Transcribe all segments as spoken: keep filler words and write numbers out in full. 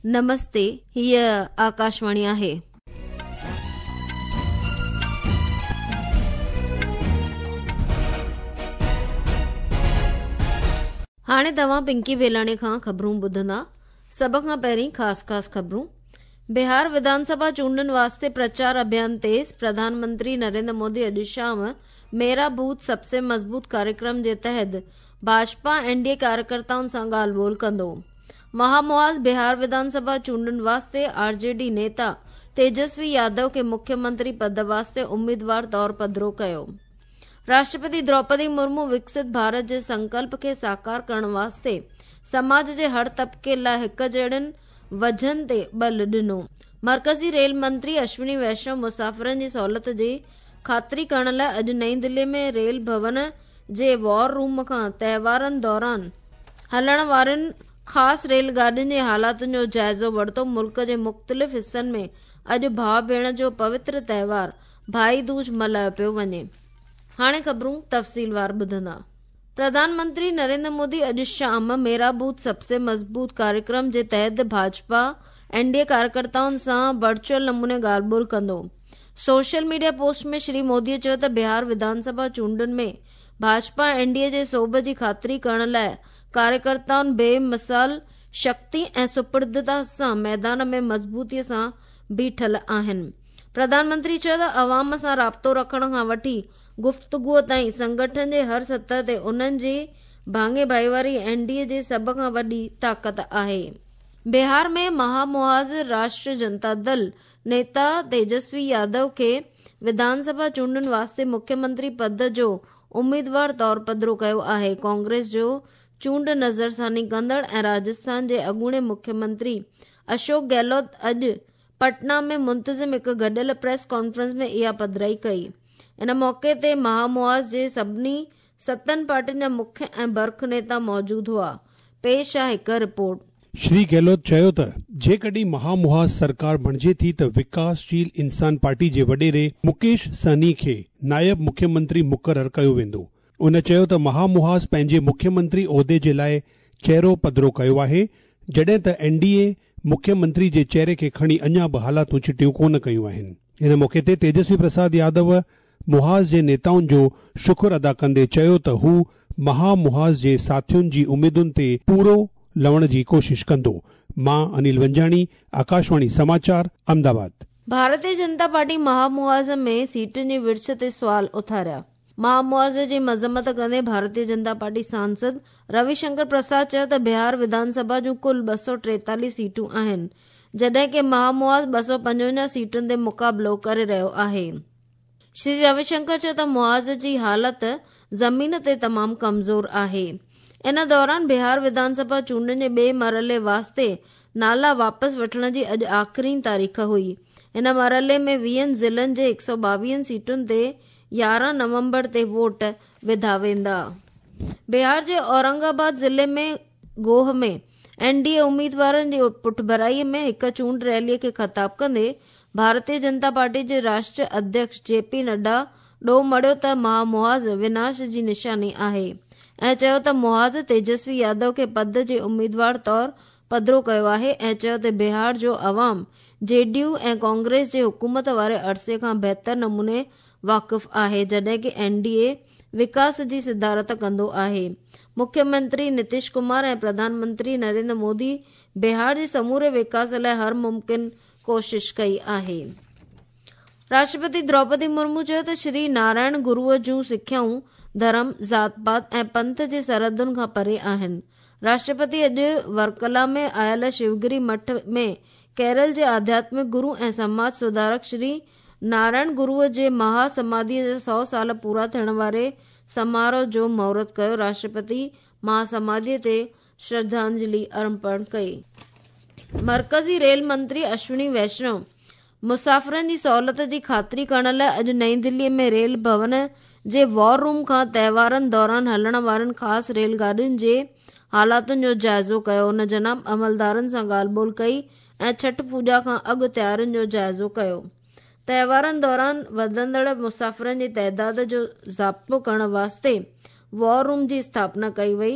नमस्ते, हीअ आकाशवाणी आहे. हाणे तव्हां पिंकी बेलाणे खां ख़बरूं ॿुधंदा. सभ खां पहिरीं ख़ासि ख़ासि ख़बरूं. बिहार विधानसभा चूंडनि वास्ते प्रचार अभियान तेज़. प्रधानमंत्री नरेंद्र मोदी अॼु शाम मेरा बूथ सबसे मज़बूत कार्यक्रम जे तहत भाजपा एन डी ए कार्यकर्ताउनि सां ॻाल्हि ॿोल कंदो. महामुआज़ बिहार विधानसभा चूंडनि वास्ते आर जे डी नेता तेजस्वी यादव खे मुख्यमंत्री पद वास्ते उम्मीदवार तौर पधरो कयो. राष्ट्रपति द्रौपदी मुर्मू विकसित भारत जे संकल्प खे साकार करण वास्ते समाज जे हर तबके लाइ हिक जहिड़नि वजन ते बल ॾिनो. मर्कज़ी रेल मंत्री अश्विनी वैष्णव मुसाफ़िरनि जी सहूलियत जी ख़ातिरी करण लाइ अॼु नई दिल्ली में रेल भवन जे वॉर रूम खां तव्हारनि दौरान हलण वारनि ख़ासि रेल गाॾियुनि जे हालातुनि जो जाइज़ो वरितो. मुल्क जे मुख़्तलिफ़ हिसनि में अॼु भाउ भेण जो पवित्र तव्हार भाई दूज मल्हायो पियो वञे. हाणे ख़बरूं तफ़सीलवार ॿुधंदा. प्रधानमंत्री नरेंद्र मोदी अॼु शाम मेरा बूथ सबसे मज़बूत कार्यक्रम जे तहत भाजपा एन डी ए कार्यकर्ताउनि सां वर्चुअल नमूने ॻाल्हि ॿोल कंदो. सोशल मीडिया पोस्ट में श्री मोदीअ चयो त बिहार विधानसभा चूंडुनि में भाजपा एन डी ए जे सोभ जी ख़ातिरी करण लाइ कार्यकर्ताउनि बेमिसाल शक्ति ऐं सुपुर्दता सां मैदान में मज़बूतीअ सां बीठल आहिनि. प्रधानमंत्री चयो त अवाम सां राब्तो रखण खां वठी गुफ्तगूअ ताईं संगठन जे हर सतह ते उन्हनि जी भाङे भाईवारी एन डी ए जी सभ खां वॾी ताक़त आहे. बिहार में महामुआज़ राष्ट्रीय जनता दल नेता तेजस्वी यादव खे विधानसभा चूंडुनि वास्ते मुख्यमंत्री पद जो उम्मीदवार तौर पधरो कयो आहे. कांग्रेस जो चूंड नज़रसानी कंदड़ ऐं राजस्थान जे अॻूणे मुख्यमंत्री अशोक गहलोत अॼु पटना में मुंतज़िम हिकु गॾियल प्रेस कॉन्फ्रेंस में इहा पधराई कई. इन मौक़े ते महामुआज़ जे सभिनी सतनि पार्टियुनि जा मुख्य ऐं बर्ख नेता मौजूदु हुआ. पेश आहे हिकु रिपोर्ट. श्री गहलोत चयो त जेकॾहिं महामुहाज़ सरकार बणिजे थी त विकासशील इंसान पार्टी जे वॾेरे मुकेश सहनी खे नायब मुख्यमंत्री मुक़ररु कयो वेंदो. उन चयो त महामुहाज़ पंहिंजे मुख्यमंत्री उहिदे जे लाइ चेहरो पधरो कयो आहे, जॾहिं त एन डी ए मुख्यमंत्री जे चेहरे खे खणी अञा बि हालातूं चिटियूं कोन कयूं आहिनि. इन मौक़े ते तेजस्वी प्रसाद यादव मुहाज़ जे नेताउनि जो शुक्र अदा कंदे चयो त हू महामुहाज़ जे साथियुनि जी उमेदुनि ते पूरो लवण जी कोशिश कंदो. मां अनिल वंजाणी, आकाशवाणी समाचार, अहमदाबाद. भारतीय जनता पार्टी महामुआज़ में सीटुनि जी विर्छ ते सवाल उथारिया. महामुआज़ जी मज़म्मत कंदे भारतीय जनता पार्टी सांसद रविशंकर प्रसाद चयो त बिहार विधानसभा जूं कुल ॿ सौ टेतालीह सीटूं आहिनि, जॾहिं की महामुआज़ ॿ सौ पंजवंजाह सीटुनि ते मुक़ाबिलो करे रहियो आहे. श्री रविशंकर चयो त मुआज़ जी हालत ज़मीन ते तमामु कमज़ोर आहे. इन दौरान बिहार विधानसभा चूंडुनि जे ॿिए मरहले वास्ते नाला वापसि वठण जी अॼु आख़िरी तारीख़ हुई. इन मरहले में वीहनि ज़िलनि जे हिकु सौ ॿावीहनि सीटुनि ते यारहं नवंबर ते वोट विधा वेंदा. बिहार जे औरंगाबाद ज़िले में गोह में एन डी ए उम्मीदवारनि जी पुठभराईअ में हिकु चूंड रैलीअ खे ख़िताब कंदे भारतीय जनता पार्टी जे राष्ट्रीय अध्यक्ष जे पी नड्डा ॾोह मढ़ियो त महामुआज़ विनाश जी निशानी आहे ऐं चयो त मुआज़ तेजस्वी यादव खे पद जे उम्मीदवार तौर पधरो कयो आहे ऐं चयो त बिहार जो अवाम जे डी यू ऐं कांग्रेस जे हुकूमत वारे अरसे खां बहितर नमूने वाक़िफ़ आहे, जॾहिं की एन डी ए विकास जी सिदारत कंदो आहे. मुख्यमंत्री नीतीश कुमार ऐं प्रधानमंत्री नरेंद्र मोदी बिहार जे समूरे विकास लाइ हर मुमकिन कोशिश कई आहे. राष्ट्रपति द्रौपदी मुर्मू चयो त श्री नारायण गुरूअ जूं सिख्याऊं धर्म, ज़ात पात ऐं पंथ जे सरहदुनि खां परे आहिनि. राष्ट्रपति अॼु वर्कला में आयल शिवगिरी मठ में केरल जे आध्यात्मिक गुरू ऐं समाज सुधारक श्री नारायण गुरूअ जे महासमाधीअ जा सौ साल पूरा थियण वारे समारोह जो मुहूर्त कयो. राष्ट्रपति महासमाधीअ ते श्रद्धांजलि अर्पण कई. मर्कज़ी रेल मंत्री अश्विनी वैष्णव मुसाफ़िरनि जी सहूलियत जी ख़ातिरी करण लाइ अॼु नई दिल्लीअ में रेल भवन जे वॉर रूम खां तव्हारनि दौरान हलण वारनि ख़ासि रेल गाॾियुनि जे हालातुनि जो जाइज़ो कयो. उन जनाब अमलदारनि सां ॻाल्हि ॿोल कई ऐं छठ पूॼा खां अॻु तयारियुनि जो जाइज़ो कयो. तव्हारनि दौरान वधंदड़ मुसाफ़िरनि जी तादाद जो ज़ाब्तो करण वास्ते वॉर रूम जी स्थापना कई वई.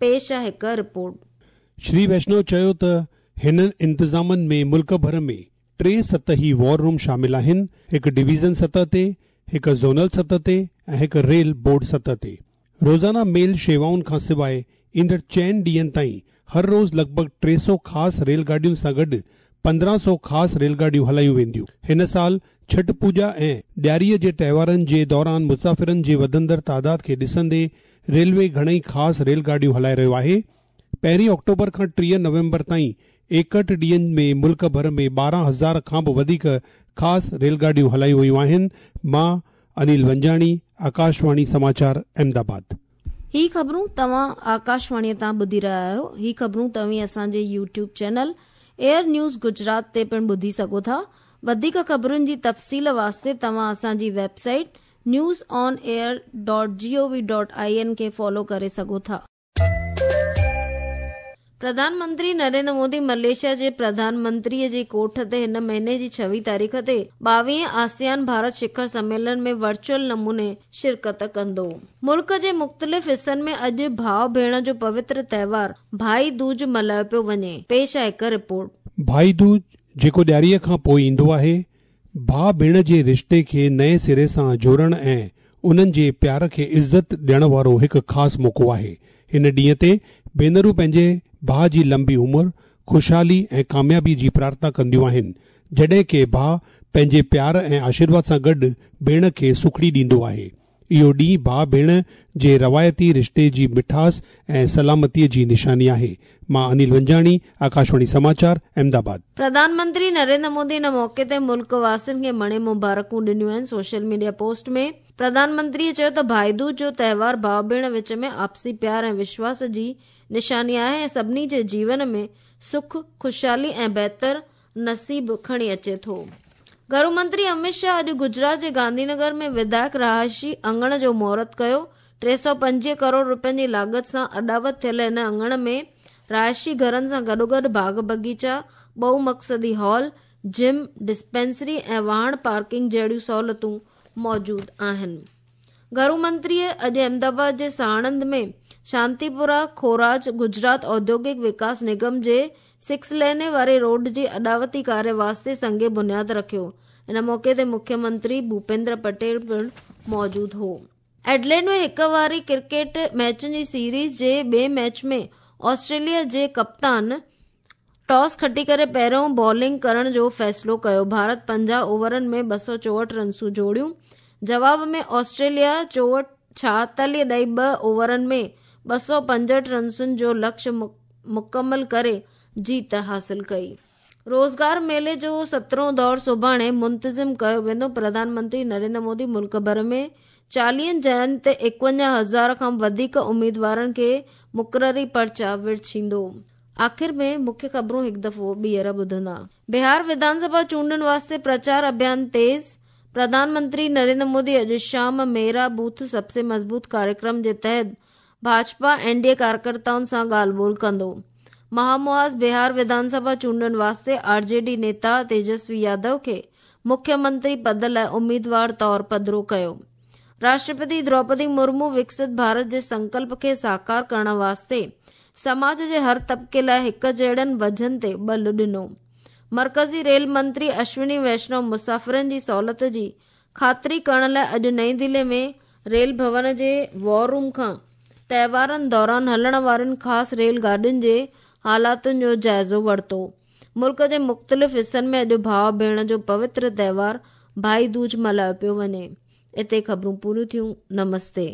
पेश आहे हिकु रिपोर्ट. श्री वैष्णव चयो त هنن انتظامن ۾ ملڪ ڀر ۾ ٽي سطحي وار روم شامل آهن، هڪ ڊويزن سطح تي، هڪ زونل سطح تي ۽ هڪ ريل بورڊ سطح تي. روزانه ميل شيوائن کان سواءِ ايندڙ چئن ڏينهن تائين هر روز لڳ ڀڳ ٽي سؤ خاص ريل گاڏين سان گڏ پندرهن سؤ خاص ريل گاڏيون هلايون وينديون. هن سال ڇٺ پوڄا ۽ ڏياريءَ جي تهوارن جي دوران مسافرن جي وڌندڙ تعداد کي ڏسندي ريلوي گهڻئي خاص ريل گاڏيون هلائي رهيو آهي. پهرين آڪٽوبر کان ٽيهه نومبر تائين ايڪهٺ ڏينهن ۾ ملڪ ڀر ۾ ٻارهن هزار کان به وڌيڪ خاص ريل گاڏيون هلايون ويون آهن. مان انيل ونجاڻي، آڪاشواڻي سماچار، احمدآباد. هي خبرون توهان آڪاشواڻيءَ تان ٻڌي رهيا آهيو. هي خبرون توهين اسان جي YouTube channel air news Gujarat تي پڻ ٻڌي سگهو ٿا. وڌيڪ خبرن جي تفصيل واسطي توهان اسان جي website news on air dot G O V dot I N کي فالو ڪري سگهو ٿا. پرڌان منتري نريندر مودي ملائيشيا جي پرڌان منتريءَ جي ڪوٺ تي هن مهيني جي ڇويهه تاريخ تي ٻاويهه آسيان ڀارت شکر سميلن ۾ ورچوئل نموني شرڪت ڪندو. ملڪ جي مختلف حصن ۾ اڄ ڀاءُ ڀيڻ جو پوتر تهوار ڀائي دوج ملهايو پيو وڃي. پيش آهي هڪ رپورٽ. ڀائي دوج جيڪو ڏياريءَ کان پوءِ ايندو آهي، ڀاءُ ڀيڻ جي رشتي کي نئين سري سان جوڙڻ ۽ انهن جي پيار کي عزت ڏيڻ وارو هڪ خاص موقعو آهي. هن ڏينهن تي ڀينرون پنهنجي ڀاءُ جي لمبي عمر، خوشحالي ۽ ڪاميابي جي پرارٿنا ڪنديون آهن، جڏهن ڪه ڀاءُ پنهنجي پيار ۽ آشيرواد سان گڏ ڀيڻ کي سکڙي ڏيندو آهي. اهو ڏينهن ڀاءُ ڀيڻ جي روايتي رشتي جي مٺاس ۽ سلامتيءَ جي نشاني آهي. مان انيل ونجاڻي، آڪاشواڻي سماچار، احمدآباد. پرڌان منتري نريندر مودي ان موقعي تي ملڪ واسين کي مڻي مبارڪون ڏنيون آهن. سوشل ميڊيا پوسٽ ۾ پرڌان منتريءَ چيو ته ڀائي دوج جو تهوار ڀاءُ ڀيڻ وچ ۾ آپسي پيار ۽ وشواس جي نشاني آهي ۽ سڀني جي جيون ۾ سک، خوشحالي ۽ بهتر نصيب کڻي اچي ٿو. گهرو منتري امت شاهه اڄ گجرات جي گانڌينگر ۾ وڌايڪ رهائشي اڱڻ جو مهورت ڪيو. ٽي سؤ پنجويهه ڪروڙ رپين جي لاڳت سان اڏاوت ٿيل هن اڱڻ ۾ رهائشي گهرن سان گڏوگڏ باغ باغيچا، ٻه مقصدي هال، جم، ڊسپينسري ۽ واهڻ پارڪنگ جهڙيون سهولتون موجود آهن. گهرو منتريءَ اڄ احمدآباد جي ساڻند ۾ شانتيپورا کوراج گجرات اوديوگڪ وڪاس نگم جي سڪس لين واري روڊ جي اڏاوتي ڪاريه واسطي سنگ بنياد رکيو. ان موقعي تي مکيه منتري ڀوپيندر پٽيل پڻ موجود هو. ايڊليڊ ۾ هڪ واري ڪرڪيٽ ميچن جي سيريز جي ٻئي ميچ ۾ آسٽريليا جي ڪپتان ٽاس کٽي ڪري پهريون بالنگ ڪرڻ جو فيصلو ڪيو. ڀارت پنجاهه اوورن ۾ ٻه سؤ چوهٺ رنسون جوڙيون. جواب ۾ آسٽريليا چوهٺ ڇاهتاليهه ڏهه ٻه اوورن ۾ ٻه سؤ پنجهٺ رنسن جو لڪشيه مڪمل ڪري جيت حاصل ڪئي. روزگار ميلي جو سترهون دور سڀاڻي منتظم ڪيو ويندو. پرڌان منتري نريندر مودي ملڪ ڀر ۾ چاليهن جاين تي ايڪونجاهه هزار کان وڌيڪ اميدوارن کي مقرري پرچا ورڇيندو. آخر ۾ مکيه خبرون هڪ دفعو ٻيهر ٻڌندا. بهار وڌان سڀا چونڊن واسطي پرچار اڀيان تيز. پرڌان منتري نريندر مودي اڄ شام ميرا بوٿ سب سي مضبوط ڪاريڪرم جي تحت ڀاجپا اين ڊي اي ڪاريڪرتائن سان ڳالهه ٻولهه ڪندو. مهامهاز بهار وڌان سڀا چونڊن واسطي آر جي ڊي نيتا تيجسوي يادو کي مکيه منتري پد لاءِ اميدوار طور پڌرو ڪيو. راشٽرپتي دروپدي مرمو وڪست ڀارت جي سنڪلپ کي ساڪار ڪرڻ واسطي سماج جي هر طبقي لاءِ هڪ جهڙن وجهن تي ٻل ڏنو. مرڪزي ريل منتري اشوني ويشنو مسافرن جي سهولت جي خاطري ڪرڻ لاءِ اڄ نئين دلي ۾ ريل ڀون جي وار روم کان تهوارن دوران هلڻ وارين خاص ريل گاڏين جي حالاتن جو جائزو ورتو. ملڪ جي مختلف حصن ۾ اڄ ڀاءُ ڀيڻ جو پوتر تهوار ڀائي دوج ملهايو پيو وڃي. اتي خبرون پوريون ٿيون. نمستي.